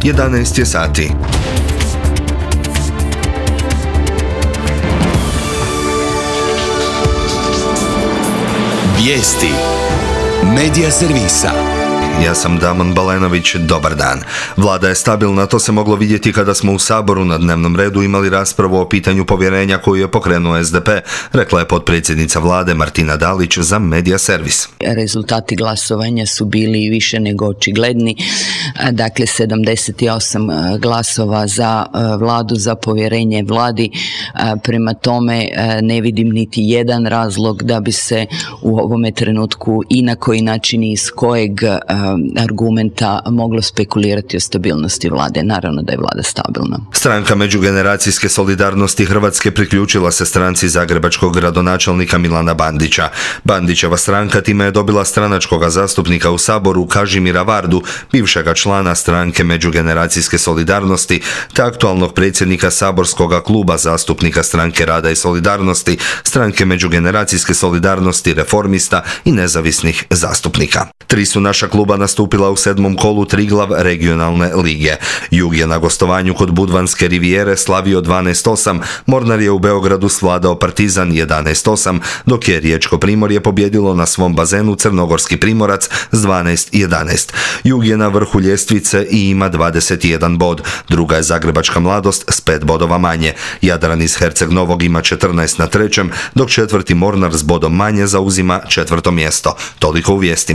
11 je sati. Vijesti Medija servisa. Ja sam Damon Balenović, dobar dan. Vlada je stabilna, to se moglo vidjeti kada smo u Saboru na dnevnom redu imali raspravu o pitanju povjerenja koju je pokrenuo SDP, rekla je potpredsjednica Vlade Martina Dalić za Medija servis. Rezultati glasovanja su bili više nego očigledni, dakle 78 glasova za Vladu, za povjerenje Vladi, prema tome ne vidim niti jedan razlog da bi se u ovome trenutku i na koji način i iz kojeg argumenta moglo spekulirati o stabilnosti Vlade. Naravno da je Vlada stabilna. Stranka međugeneracijske solidarnosti Hrvatske priključila se stranci zagrebačkog gradonačelnika Milana Bandića. Bandićeva stranka time je dobila stranačkoga zastupnika u Saboru Kažimira Vardu, bivšega člana stranke međugeneracijske solidarnosti, te aktualnog predsjednika saborskoga kluba zastupnika Stranke rada i solidarnosti, stranke međugeneracijske solidarnosti, Reformista i nezavisnih zastupnika. 3 su naša kluba nastupila u 7. kolu Triglav regionalne lige. Jug je na gostovanju kod Budvanske rivijere slavio 12-8, Mornar je u Beogradu svladao Partizan 11-8, dok je Riječko Primorje pobjedilo na svom bazenu Crnogorski Primorac s 12-11. Jug je na vrhu ljestvice i ima 21 bod, druga je Zagrebačka Mladost s 5 bodova manje. Jadran iz Herceg Novog ima 14 na 3., dok 4. Mornar s bodom manje zauzima 4. mjesto. Toliko u vijestima.